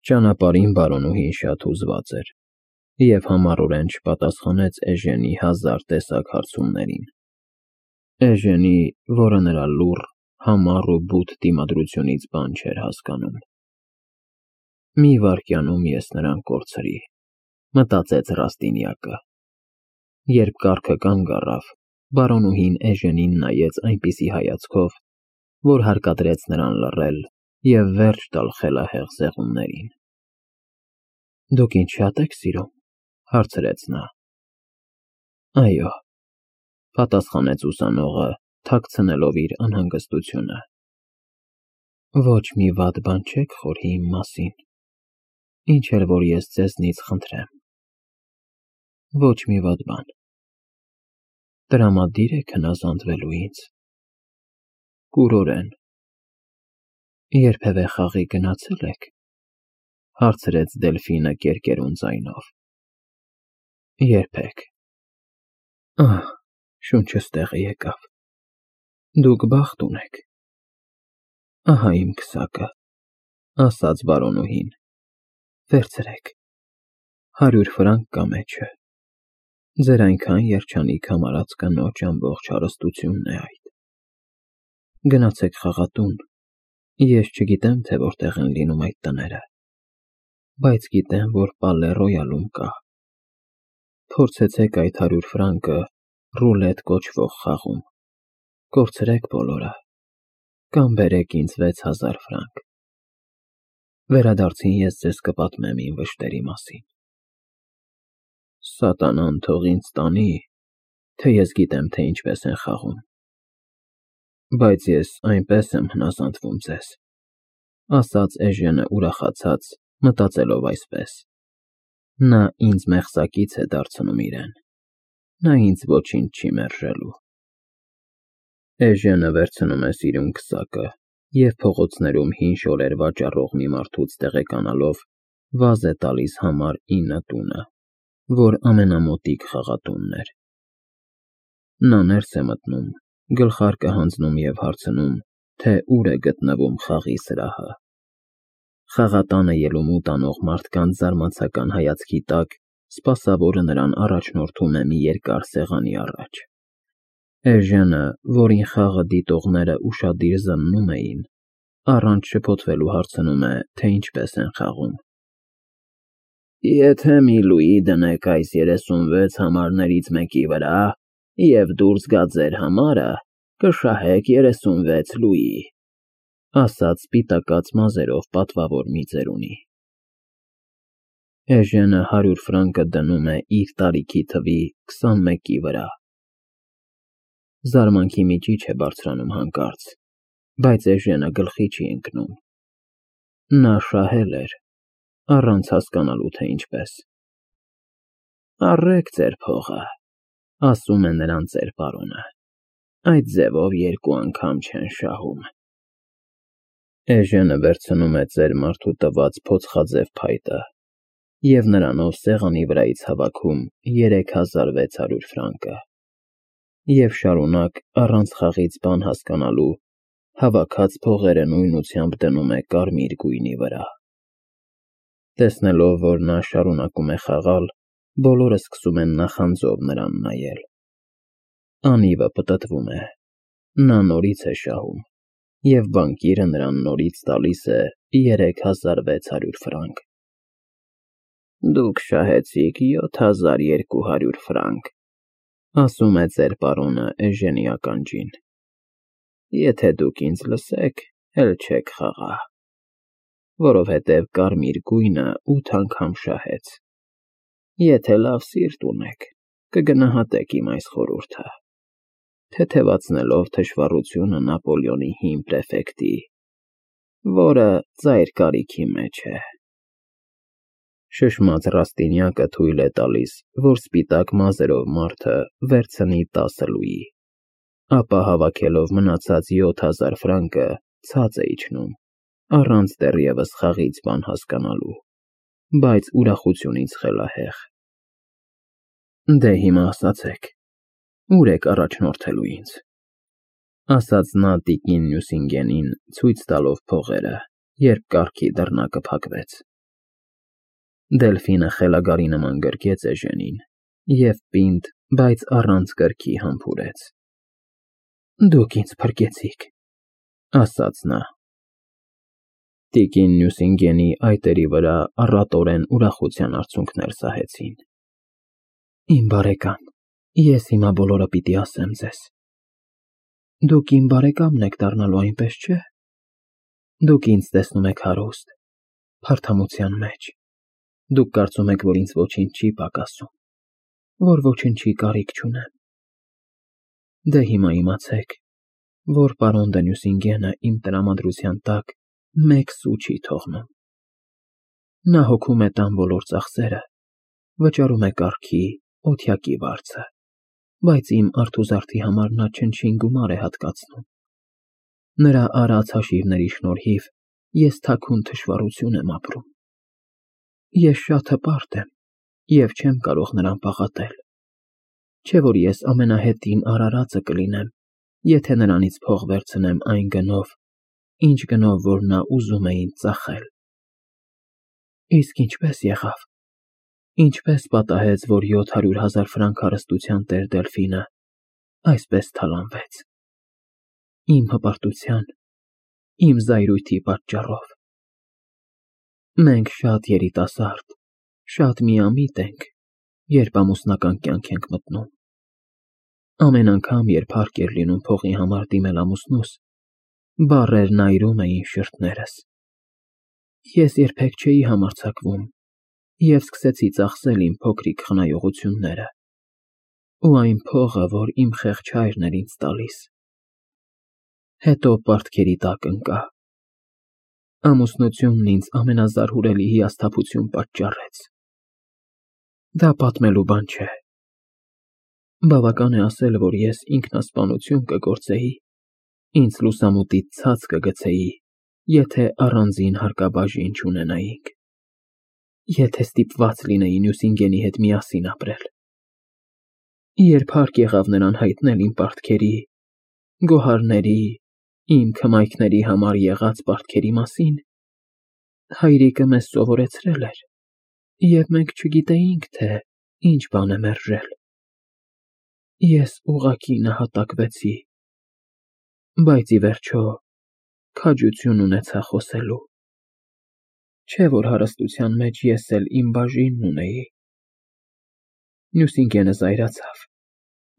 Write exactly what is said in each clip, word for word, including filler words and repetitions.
Ճանապարհին բարոնուհին շատ հուզված էր և համառորեն չպատասխանեց Էժենի հազար տեսակ հարցումներին. Էժենի, որը նրա լուռ, համառ ու բութ դիմադրությունից բան չէր հասկանում։ «Մի վայրկյանում ես նրան կորցրի», մտածեց Ռաստինյակը։ Երբ կառքը կանգ առավ, բարոնուհին Էժենին նայեց այնպիսի հայացքով, որ հարկադրեց նրան լռել և վերջ տալ խելահեղ զեղումներին։ «Դուք ինձ շա՞տ եք սիրում», հարցրեց նա։ «Այո», պատասխանեց ուսանողը, թաքցնելով իր անհանգստությունը։ «Ոչ մի վատ բան չեք խորհի իմ մասին, ինչ էլ որ ես ձեզնից խնդրեմ»։ «Ոչ մի վատ բան»։ «Տրամադիր եք հնազանդվելու ինձ»։ «Կուրորեն»։ «Երբևէ խաղի գնացե՞լ եք», հարցրեց Դելֆինը կերկերուն ձայնով։ «Երբեք»։ «Ահ, շունչս տեղը եկավ։ Դուք բախտ ունեք»։ «Ահա իմ քսակը», ասաց բարոնուհին։ «Վերցրեք, հարյուր ֆրանկ կա մեջը։ Ձեր այնքան երջանիկ համարած կնոջ ամբողջ հարստությունն է այդ։ Գնացեք խաղատուն, ես չգիտեմ, թե որտեղ են լինում այդ տները, բայց գիտեմ, որ Պալե Ռոյալում կա։ Փորձեցեք այդ հարյուր ֆրանկը ռուլետ կոչվող խաղում, կորցրեք բոլորը, կամ բերեք ինձ վեց հազար ֆրանկ։ Վերադարձին ես ձեզ կպատմեմ իմ վշտերի մասին։ Սատանան թող ինձ տանի, թե ես գիտեմ, թե ինչպես են խաղում։ Բայց ես այնպես եմ հնազանդվում ձեզ», ասաց Էժենը ուրախացած, մտածելով այսպես. «Նա ինձ մեղսակից է դարձնում իրեն, նա ինձ ոչինչ չի մերժելու»։ Էժենը վերցնում է սիրուն քսակը և փողոցներում հին շորեր վաճառող մի մարդուց տեղեկանալով, վազ է տալիս համար ինը տունը, որ ամենամոտիկ խաղատունն էր։ Նա ներս է մտնում, գլխարկը հանձնում և հարցնում, թե ուր է գտնվում խաղի սրահը։ Խաղատանը ելումուտ անող մարդկանց զարմացական հայացքի տակ սպասավորը նրան առաջնորդում է մի երկար սեղանի առաջ։ Էժենը, որին խաղը դիտողները ուշադիր զննում էին, առանց շփոթվելու հարցնում է, թե ինչպես են խաղում։ «Եթե մի լուի դնեք այս երեսունվեց համարներից մեկի վրա և դուրս գա ձեր համարը, կշահեք երեսունվեց լուի», ասաց սպիտակած մազերով պատվավոր մի ծերունի։ Էժենը հարյուր ֆրանկը դնում է իր տարիքի թվի քսանմեկի վրա։ Զարմանքի միջիչ է բարձրանում հանկարծ, բայց Էժենը գլխի չի ընկնում։ Նա շահել էր, առանց հասկանալու, թե ինչպես։ «Առեք ձեր փողը», ասում է նրան ծեր֊պարոնը, «այդ ձևով երկու անգամ չեն շահում»։ Էժենը վերցնում է ծեր֊մարդու տված փոցխաձև փայտը և նրանով սեղանի վրայից հավաքում երեք հազար վեց հարյուր ֆրանկը և շարունակ, առանց խաղից բան հասկանալու, հավաքած փողերը նույնությամբ դնում է կարմիր գույնի վրա։ Տեսնելով, որ նա շարունակում է խաղալ, բոլորը սկսում են նախանձով նրան նայել։ Անիվը պտտվում է, նա նորից է շահում, և բանկիրը նրան նորից տալիս է երեք հազար վեց հարյուր ֆրանկ։ «Դուք շահեցիք յոթ հազար երկու հարյուր ֆրանկ», ասում է ծեր֊պարոնը Էժենի ականջին։ «Եթե դուք ինձ լսեք, էլ չեք խաղա, որովհետև կարմիր գույնը ութ անգամ շահեց։ Եթե լավ սիրտ ունեք, կգնահատեք իմ այս խորհուրդը, թեթևացնելով թշվառությունը Նապոլեոնի հին պրեֆեկտի, որը ծայր կարիքի մեջ է»։ Շշմած Ռաստինյակը թույլ է տալիս, որ սպիտակ մազերով մարդը վերցնի տասը լուի, ապա հավաքելով մնացած յոթ հազար ֆրանկը ցած է իջնում, առանց դեռևս խաղից բան հասկանալու, բայց ուրախությունից խելահեղ։ «Դե հիմա ասացեք, ո՞ւր եք առաջնորդելու ինձ», ասաց նա տիկին Նյուսինգենին, ցույց տալով փողերը, երբ կառքի դռնակը փակվեց։ Դելֆինը խելագարի նման գրկեց էժենին և պինդ, բայց առանց կրքի համբուրեց։ Դուք ինձ փրկեցիք, ասաց նա։ Տիկին Նյուսինգենի այտերի վրա առատորեն ուրախության արցունքներ սահեցին։ Իմ բարեկամ, ես հիմա բոլորը պիտի ասեմ ձեզ։ Դուք իմ բարեկամն եք դառնալու, այնպես չէ՞։ Դուք ինձ տեսնում եք հարուստ, փարթամության մեջ։ Դուք կարծում եք, որ ինձ ոչինչ չի պակասում, որ ոչնչի կարիք չունեմ։ Դե հիմա իմացեք, որ պարոն դը Նյուսինգենը իմ տրամադրության տակ մեկ սու չի թողնում։ Նա հոգում է տան բոլոր ծախսերը, վճարում է կառքի, օթյակի վարձը, բայց իմ արթուզարդի համար նա չնչին գումար է հատկացնում։ Նրա արած հաշիվների շնորհիվ ես թաքուն թշվառություն եմ ապրում։ Ես շատ հպարտ եմ և չեմ կարող նրան պաղատել, չէ՞ որ ես ամենահետին արարածը կլինեմ, եթե նրանից փող վերցնեմ այն գնով, ինչ գնով որ նա ուզում է ինձ ծախել։ Իսկ ինչպե՞ս եղավ, ինչպե՞ս պատահեց, որ յոթ հարյուր հազար ֆրանկ հարստության տեր Դելֆինը այսպես թալանվեց։ Իմ հպարտության, իմ զայրույթի պատճառով։ Մենք շատ երիտասարդ, շատ միամիտ ենք, երբ ամուսնական կյանք ենք մտնում։ Ամեն անգամ, երբ հարկ էր լինում փողի համար դիմել ամուսնուս, բառերն այրում էին շրթներս։ Ես երբեք չէի համարձակվում և սկսեցի ծախսել իմ փոքրիկ խնայողությունները ու այն փողը, որ իմ խեղճ հայրն էր ինձ տալիս։ Հետո պարտքերի տակ ընկա։ Ամուսնությունն ինձ ամենազարհուրելի հիասթափություն պատճառեց։ Դա պատմելու բան չէ։ Բավական է ասել, որ ես ինքնասպանություն կգործեի, ինձ լուսամուտից ցած կգցեի, եթե առանձին հարկաբաժին չունենայինք, եթե ստիպված լինեի Նյուսինգենի հետ միասին ապրել։ Երբ հարկ եղավ նրան հայտնել իմ պարտքերի, գոհարների, իմ քմայքների համար եղած պարտքերի մասին, հայրիկը մեզ սովորեցրել էր, և մենք չգիտեինք, թե ինչ բան է մերժել։ Ես ուղղակի նահատակվեցի, բայց ի վերջո քաջություն ունեցա խոսելու։ Չէ՞ որ հարստության մեջ ես էլ իմ բաժինն ունեի։ Նյուսինգենը զայրացավ։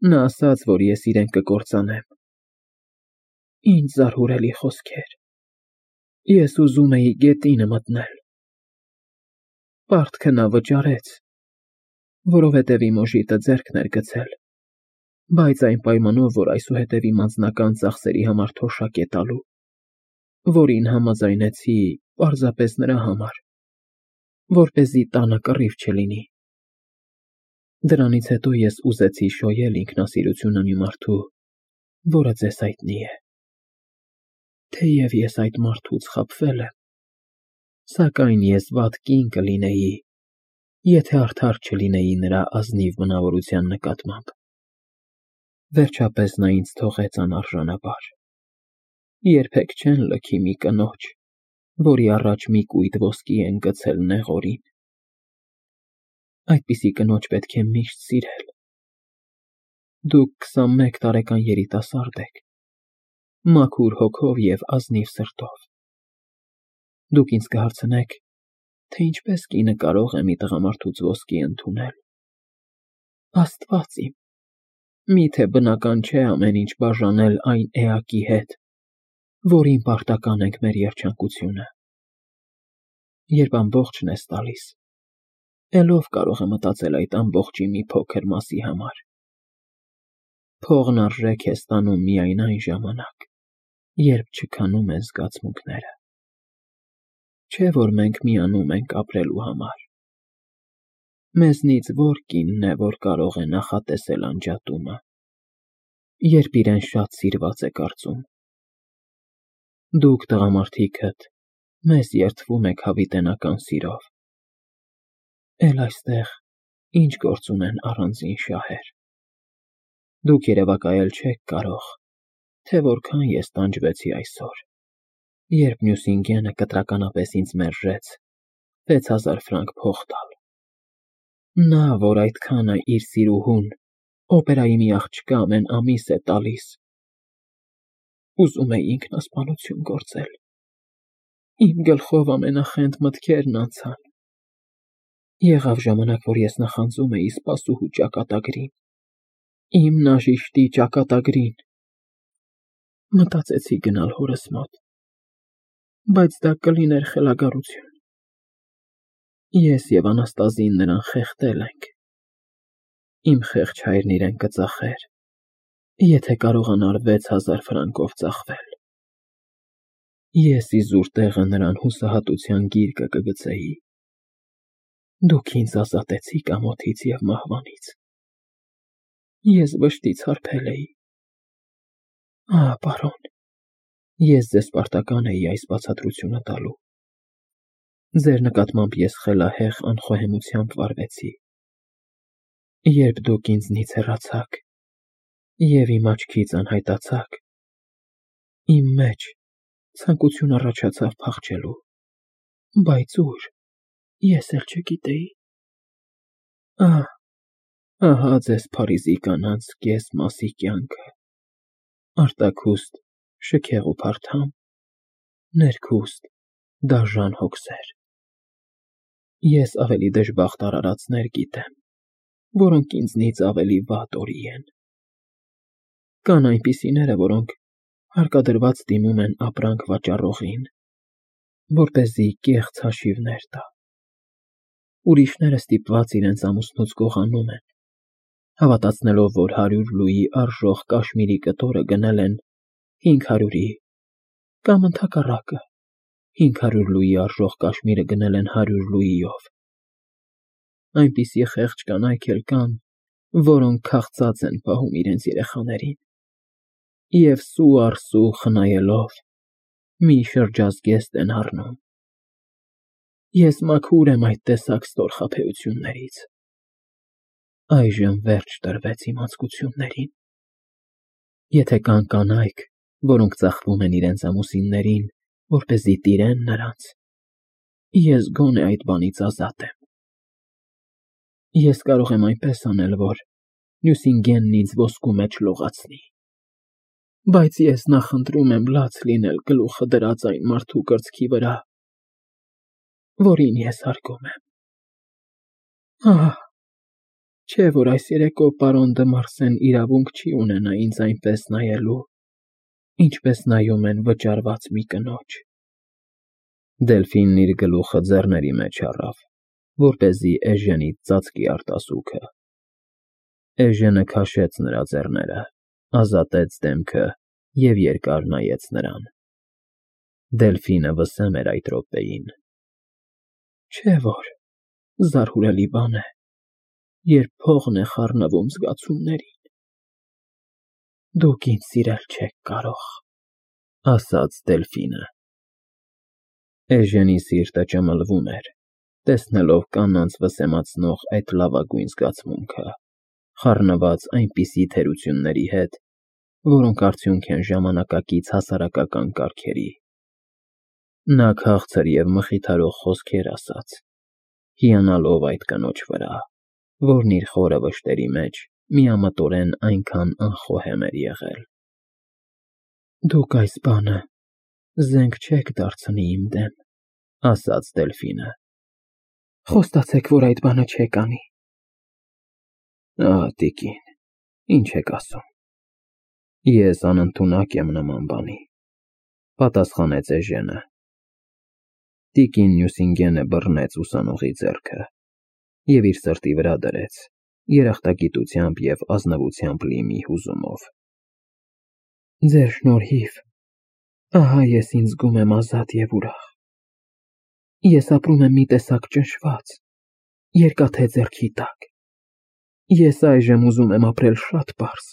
Նա ասաց, որ ես իրեն կկործանեմ։ Ինչ զարհուրելի խոսքեր։ Ես ուզում էի գետինը մտնել։ Պարտքը նա վճարեց, որովհետև իմ օժիտը ձեռքն էր գցել, բայց այն պայմանով, որ այսուհետև իմ անձնական ծախսերի համար թոշակ է տալու, որին համաձայնեցի պարզապես նրա համար, որպեսզի տանը կռիվ չլինի։ Դրանից հետո ես ուզեցի շոյել ինքնասիրությունը մի մարդու, որը ձեզ հայտնի է։ Թեև ես այդ մարդուց խաբվել եմ, սակայն ես վատ կին կլինեի, եթե արդար չլինեի նրա ազնիվ բնավորության նկատմամբ։ Վերջապես նա ինձ թողեց անարժանաբար։ Երբեք չեն լքի մի կնոջ, որի առաջ մի կույտ ոսկի են գցել նեղորին։ Այդպիսի կնոջ պետք է միշտ սիրել։ Դուք քսանմեկ տարեկան երիտասարդ եք, մաքուր հոգով և ազնիվ սրտով։ Դուք ինձ կհարցնեք, թե ինչպես կինը կարող է մի տղամարդուց ոսկի ընդունել։ Աստված իմ, միթե բնական չէ ամեն ինչ բաժանել այն էակի հետ, որին պարտական ենք մեր երջանկությունը։ Երբ ամբողջն ես տալիս, էլ ով կարող է մտածել այդ ամբողջի մի փոքր մասի համար։ Փողն արժեք է ստանում միայն այն ժամանակ, երբ չքանում են զգացմունքները։ Չէ՞ որ մենք միանում ենք ապրելու համար։ Մեզնից ո՞ր կինն է, որ կարող է նախատեսել անջատումը, երբ իրեն շատ սիրված է կարծում։ Դուք, տղամարդիկդ, մեզ երդվում եք հավիտենական սիրով, էլ այստեղ ինչ գործ ունեն առանձին շահեր։ Դուք երևակայել չեք կարող, թե որքան ես տանջվեցի այսօր, երբ Նյուսինգենը կտրականապես ինձ մերժեց, վեց հազար ֆրանկ փող տալ։ Նա, որ այդքան է իր սիրուհուն, օպերայի մի աղջկա ամեն ամիս է տալիս։ Ուզում էի ինքնասպանություն գործել։ Իմ գլխով ամենախենթ մտքերն անցան։ Եղավ ժամանակ, որ ես նախանձում էի սպասուհու ճակատագրին, իմ նաժիշտի ճակատագրին։ Մտածեցի գնալ հորս մոտ, բայց դա կլիներ խելագարություն։ Ես և Անաստազին նրան խեղդել ենք։ Իմ խեղճ հայրն իրեն կծախեր, եթե կարողանար վեց հազար ֆրանկով ծախվել։ Ես իզուր տեղը նրան հուսահատության գիրկը կգցեի։ Դուք ինձ ազատեցիք ամոթից և մահվանից։ Ես վշտից հարբել էի։ Ահ, պարոն, ես ձեզ պարտական էի այս բացատրությունը տալու։ Ձեր նկատմամբ ես խելահեղ անխոհեմությամբ վարվեցի։ Երբ դուք ինձնից հեռացաք և իմ աչքից անհայտացաք, իմ մեջ ցանկություն առաջացավ փախչելու, բայց ուր, ես էլ չգիտեի։ Ահ, ահա ձեզ Փարիզի կանանց կես մասի կյանքը, արտաքուստ շքեղ ու փարթամ, ներքուստ դաժան հոգսեր։ Ես ավելի դժբախտ արարածներ գիտեմ, որոնք ինձնից ավելի վատ օրի են։ Կան այնպիսիները, որոնք հարկադրված դիմում են ապրանք վաճառողին, որպեսզի կեղծ հաշիվներ տա։ Ուրիշները ստիպված իրենց ամուսնուց գողանում են, հավատացնելով, որ հարյուր լուի արժող կաշմիրի կտորը գնել են հինգ հարյուրի, կամ ընդհակառակը, հինգ հարյուր լուի արժող կաշմիրը գնել են հարյուր լուիով։ Այնպիսի խեղճ կանայք էլ կան, որոնք քաղցած են պահում իրենց երեխաներին և սու առ սու խնայելով մի շրջազգեստ են առնում։ Ես մաքուր եմ այդ տեսակ ստորխաբեություններից։ Այժմ վերջ տրվեց իմ անձկություններին։ Եթե կան կանայք, որոնք ծախվում են իրենց ամուսիններին, որպեսզի տիրեն նրանց, ես գոնե այդ բանից ազատ եմ։ Ես կարող եմ այնպես անել, որ Նյուսինգենն ինձ ոսկու մեջ լողացնի, բայց ես նախընտրում եմ լաց լինել գլուխը դրած այն մարդու կրծքի վրա, որին ես հարգում եմ։ Ահ, չէ՞ որ այս երեկո պարոն դը Մարսեն իրավունք չի ունենա ինձ այնպես նայելու, ինչպես նայում են վճարված մի կնոջ։ Դելֆինն իր գլուխը ձեռների մեջ առավ, որպեսզի Էժենից ծածկի արտասուքը։ Էժենը քաշեց նրա ձեռները, ազատեց դեմքը և երկար նայեց նրան։ Դելֆինը վսեմ էր այդ րոպեին։ Չէ՞ որ զարհուրելի բան է, երբ փողն է խառնվում զգացումներին։ Դուք ինձ սիրել չեք կարող, ասաց Դելֆինը։ Էժենի սիրտը ճմլվում էր, տեսնելով կանանց վսեմացնող այդ լավագույն զգացմունքը, խառնված այնպիսի թերությունների հետ, որոնք արդյունք են ժամանակակից հասարակական կարգերի։ Նա քաղցր և մխիթարող խոսքեր ասաց, հիանալով այդ կնոջ վրա, որն իր խորը վշտերի մեջ միամտորեն այնքան անխոհեմ էր եղել։ Դուք այս բանը զենք չեք դարձնի իմ դեմ, ասաց Դելֆինը։ Խոստացեք, որ այդ բանը չեք անի։ Ահ, տիկին, ինչ եք ասում։ Ես անընդունակ եմ նման բանի, պատասխանեց Էժենը։ Տիկին Նյուսինգենը բռնեց ուսանողի ձեռքը և իր սրտի վրա դրեց, երախտագիտությամբ և ազնվությամբ լի մի հուզումով։ Ձեր շնորհիվ ահա ես ինձ զգում եմ ազատ և ուրախ։ Ես ապրում եմ մի տեսակ ճնշված, երկաթե ձեռքի տակ։ Ես այժմ ուզում եմ ապրել շատ պարզ,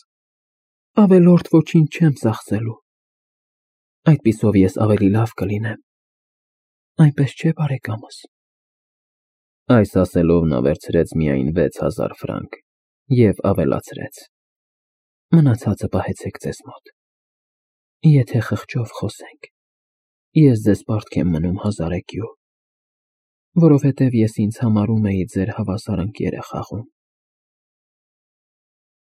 ավելորդ ոչինչ չեմ ծախսելու։ Այդպիսով ես ավելի լավ կլինեմ, այնպես չէ՞, բարեկամս։ Այս ասելով նա վերցրեց միայն վեց հազար ֆրանկ և ավելացրեց. Մնացածը պահեցեք ձեզ մոտ։ Եթե խղճով խոսենք, ես ձեզ պարտք եմ մնում հազարեկյու։ Որովհետև ես ինձ համարում էի ձեր հավասար ընկերը խաղում։